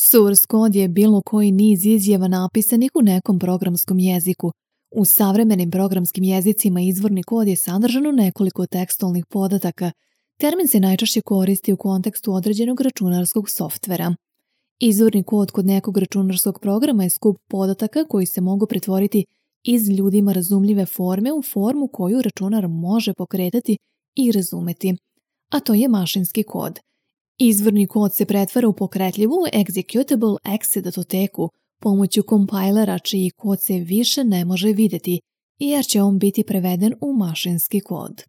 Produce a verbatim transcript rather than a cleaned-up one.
Source kod je bilo koji niz izjava napisanih u nekom programskom jeziku. U savremenim programskim jezicima izvorni kod je sadržan u nekoliko tekstualnih podataka. Termin se najčešće koristi u kontekstu određenog računarskog softvera. Izvorni kod kod nekog računarskog programa je skup podataka koji se mogu pretvoriti iz ljudima razumljive forme u formu koju računar može pokretati i razumeti, a to je mašinski kod. Izvorni kod se pretvara u pokretljivu executable exe datoteku pomoću kompajlera čiji kod se više ne može vidjeti, jer će on biti preveden u mašinski kod.